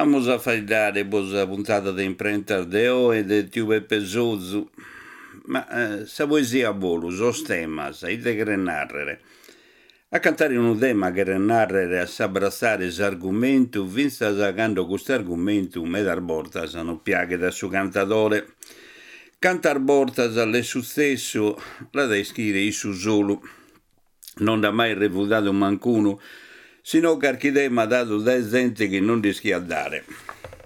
Amus a faeddare pro sa puntada de Imprentas de oe de tiu Peppe Sozu. Ma sa poesia a bolu, sos temas, ite cheret nàrrere? A cantare unu tema cheret nàrrere a s'abratzare s'argumentu fintzas cando custu argumentu medas bortas non piaghet a su cantadore. Cantas bortas l'est sutzessu l'at a ischire issu solu. Non nd'at mai revudadu mancunu, si no carchi tema dadu dae zente chi non nd'ischiat dare.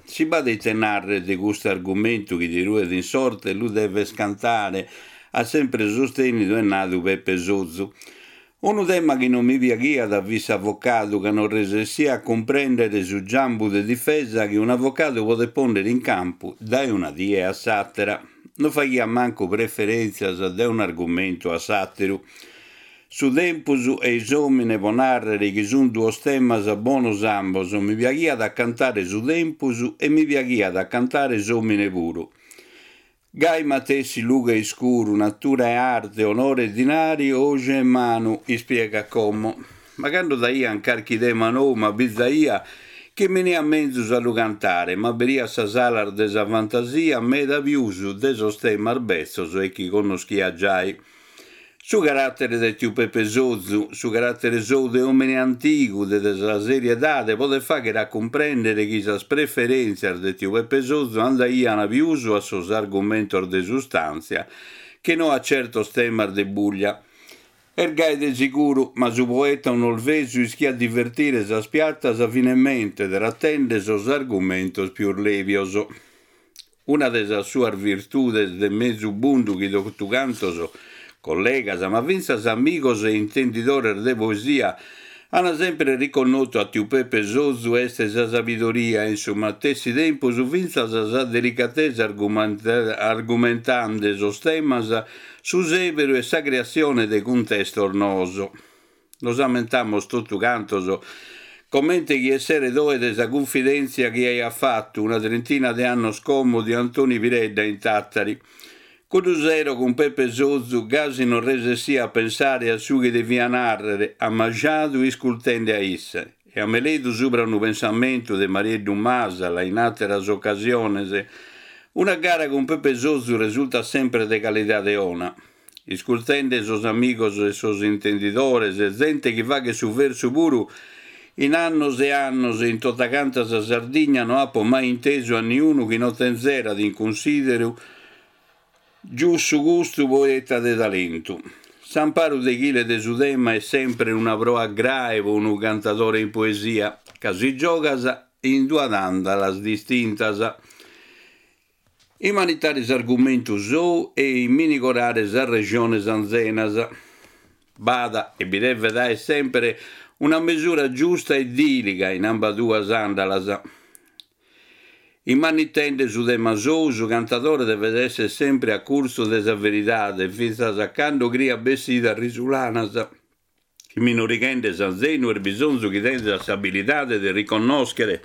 Si b'at ite nàrrere de custu argumentu chi ti ruet in sorte lu deves cantare, at sempre sustènnidu e nadu Peppe Sozu. Unu tema chi non mi piaghiat fit s'avocadu ca non resessia a cumprèndere su giambu de difesa chi un'avocadu podet pònnere in campu dae una die a s'àtera. Non faghiat mancu preferèntzias dae un'argumentu a s'àteru. Su tempus e s'òmine pro nàrrere chi sunt duos temas bonos ambos, mi piaghiat a cantare su tempus e mi piaghiat a cantare s'òmine puru. Gai matessi lughe e iscuru, natura e arte, onore e dinari, oju e manu, ispiegat como. Ma cando daian carchi tema nou m'abizaia chi mi 'eniat menzus a lu cantare, m'aberiat sas alas de sa fantasia meda pius de sos temas betzos e chi connoschia giai. Su caràtere de tiu Pepe Sozu, su caràtere sou de òmine antigu, de sa seriedade, podet fàghere a cumprèndere chi sas preferèntzias de tiu Pepe Sozu andaian pius a sos argumentos de sustàntzia che no a certos temas de buglia. Est gai de siguru, ma su poeta onolvesu ischiat divertire sas piatas finemente tratende sos argumentos pius lèbios. Una de sas suas virtudes de mesu bundu chi totu cantos, collegas, ma fintzas amigos e intendidores de poesia, an sempre riconnotu a tiu Pepe Sozu est sa sabidoria e in su matessi tempus fintzas sa delicatesa argumentande sos temas, su sèberu e sa creassione de cuntestos noos. Nos ammentamos totu cantos comente chi esseret oe de sa cunfidèntzia chi aiat fatu una trintina de annos como tiu Antoni Piredda in Tàtari. Cuddu sero cun Pepe Sozu gasi non resessia a pensare a su chi devia nàrrere, ammajadu iscultende a isse, e a meledu subra unu pensamentu de Marieddu Masala in àteras ocasiones, una gara cun Pepe Sozu resultat sempre de calidade 'ona. Iscultende sos amigos e sos intendidores, zente chi faghet su versu puru, in annos e annos in totacanta sa Sardigna no apo mai intesu a niunu chi no tenzerat in cunsideru giussu custu poeta de talentu. S'amparu deghile de su tema est sempre una proa grae pro unu cantadore in poesia, ca si giogas in duas àndalas distintas. Imanitare s'argumentu sou e imminigorare sas rejones anzenas. B'at, e bi devet aer semper, una mesura giusta e dìliga in ambaduas àndalas. Imanitende su tema sou, su cantadore devet esser sempre a curtzu de sa veridade, fintzas a cando criat bessidas risulanas. Imminorighende s'anzenu est bisonzu chi tenzat s'abilidade de riconnòschere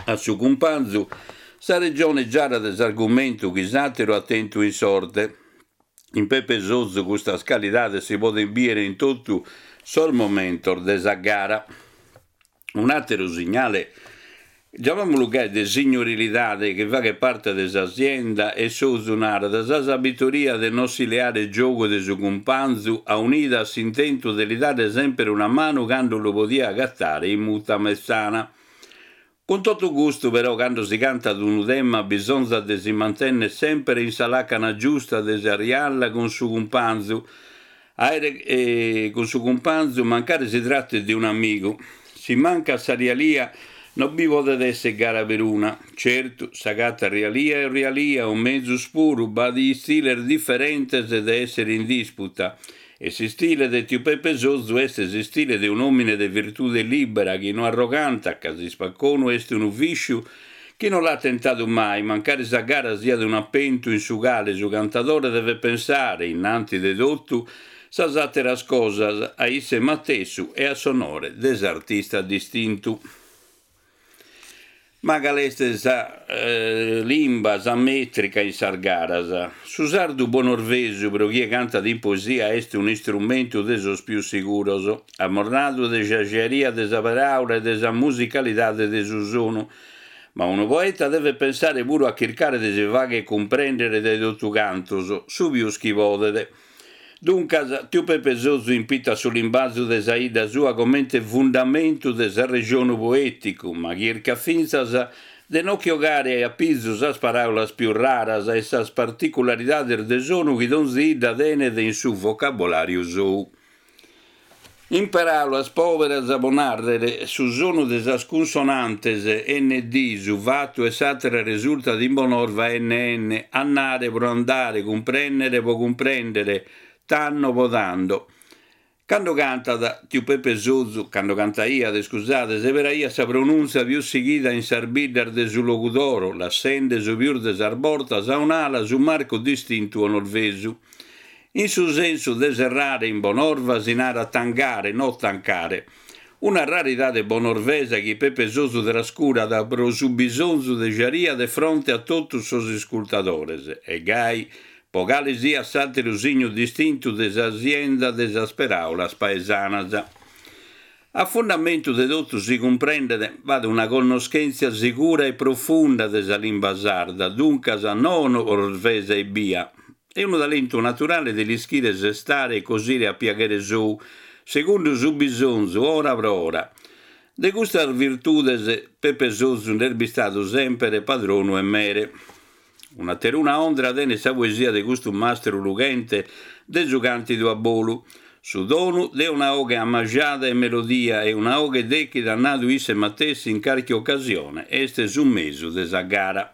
a su cumpanzu sa rejone giara de s'argumentu chi s'àteru at tentu in sorte. In Pepe Sozu custas calidades si podent bìere in totu sos momentos de sa gara. Un'àteru signale, giamamulu gai, de signorilidade chi faghet parte de sa sienda e Sozu narat sa sabitoria de non si leare giogu de su cumpanzu aunida a s'intentu de li dare semper una manu cando lu podiat agatare in muta metzana. Cun totu custu però cando si cantat unu tema bisonzat de si mantènnere semper in sa làcana giusta de sa rialla cun su cumpanzu, Àere cun su cumpanzu, mancari si tratet de un'amigu. Si mancat sa rialia no bi podet èssere gara peruna. Certu, s'agatat rialia e rialia, o mezus puru, b'at istiles diferentes de èssere in disputa. E s'istile de tiu Pepe Sozu est s'istile de un'òmine de virtude lìbera chi no arrogantat ca s'ispaconu est unu vìsciu chi no l'at tentadu mai, mancari sa gara siat un'apentu in su cale su cantadore devet pensare, innanti de totu sas àteras cosas, a isse matessu e a s'onore de s'artista distintu. Ma cale est sa limba, sa mètrica in sas garas? Su sardu bonorvesu, pro chie cantat in poesia, est un'istrumentu de sos pius siguros, amornadu de sa giaria de sa paràula e de sa musicalidade de su sonu. Ma unu poeta devet pensare puru a chircare de si fagher cumprèndere dae totu cantos, su pius chi podet. Duncas, tiu Pepe Sozu impitat su limbazu de sa 'idda sua comente fundamentu de s'arrejonu poèticu, ma chircat fintzas de no che 'ogare a pizu sas paràulas pius raras e sas particularidades de sonu chi donzi 'idda tenet in su vocabolàriu sou. In paràulas pòberas, pro nàrrere, su sonu de sas cunsonantes ND, su fatu 'e s'àtera resurtat in Bonorva NN, annare pro andare, cumprènnere pro cumprèndere, tanno pro tando. Cando cantat, tiu Pepe Sozu, cando cantaiat, iscusade, seberaiat sa pronùntzia pius sighida in sas biddas de su Logudoro, lassende su pius de sas bortas a un'ala su marcu distintu 'onorvesu. In su sensu de serrare in Bonorva si narat tangare, no tancare. Una raridade bonorvesa chi Pepe Sozu trascurat pro su bisonzu de jaria de fronte a totus sos iscultadores, e gai pro cale siat s'àteru signu distintu de sa sienda de sas peràulas paesanas. A fundamentu de totu si cumprendet b'at una connoschèntzia segura e profunda de sa limba sarda, duncas no 'onorvesa ebbia, e unu talentu naturale de l'ischire sestare e cosire a piaghere sou, segundu su bisonzu, ora pro ora. De custas virtudes Pepe Sozu nd'est bistadu semper padronu e mere. Un'ateruna ondra tenet sa poesia de custu mastru lughente de su càntidu a bolu, su donu de una 'oghe ammajada 'e melodia e una 'oghe dèchida at nadu isse matessi in carchi ocasione est su mesu de sa gara.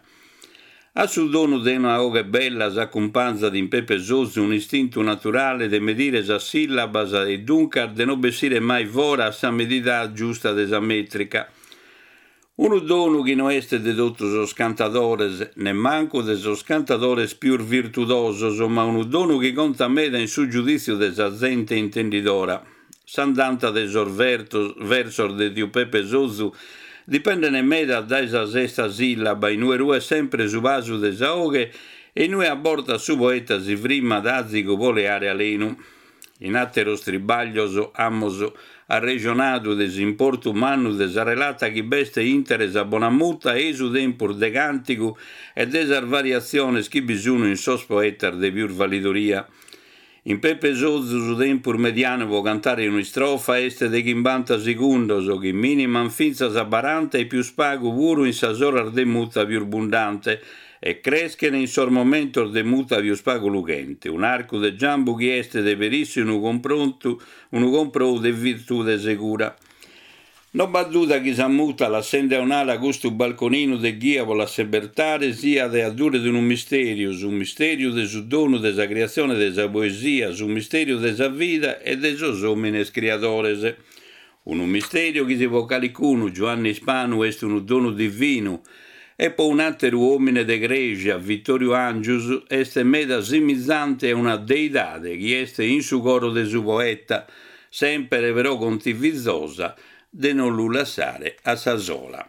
A su donu de una 'oghe bella s'acumpanzat in Pepe Sozu un'istintu naturale de medire sas sìllabas e duncas de no bessire mai fora a sa medida giusta de sa mètrica. Unu donu chi no est de totu sos cantadores, nemmancu de sos cantadores pius virtudosos, ma unu donu chi contat meda in su giudìtziu de sa zente intendidora. S'andanta de sos versos de tiu Pepe Sozu dipendent meda dae sa sesta sìllaba, in ue ruet sempre su pasu de sa 'oghe e in ue a bortas su poeta si frimmat azigu pro leare alenu. In àteros tribàglios amus arrejonadu de s'importu mannu de sa relata chi b'est intre sa bona muta ei su tempus de càntigu e de sas variatziones chi bi sun in sos poetas de pius validoria. In Pepe Sozu su tempus medianu pro cantare un'istrofa est de chimbanta segundos, chi mìniman fintzas a baranta e pius pagu puru in sas oras de muta pius bundante, e creschen in sos momentos de muta pius pagu lughente, un'arcu de giambu chi est de perissi unu cumprontu, unu comprou de virtude segura. No b'at duda chi sa muta, lassende a un'ala custu balconinu de ghia pro l'assebertare, siat e adduret unu mistèriu, su mistèriu de su donu de sa criatzione de sa poesia, su mistèriu de sa vida e de sos òmines criadores. Unu mistèriu chi si po calicunu, Giuanne Ispanu, est unu donu divinu e po un'àteru òmine de crèsia, Vitòriu Angius, est meda simizante a una deidade chi est in su coro de su poeta, semper però contivizosa de non lu lassare a sa sola.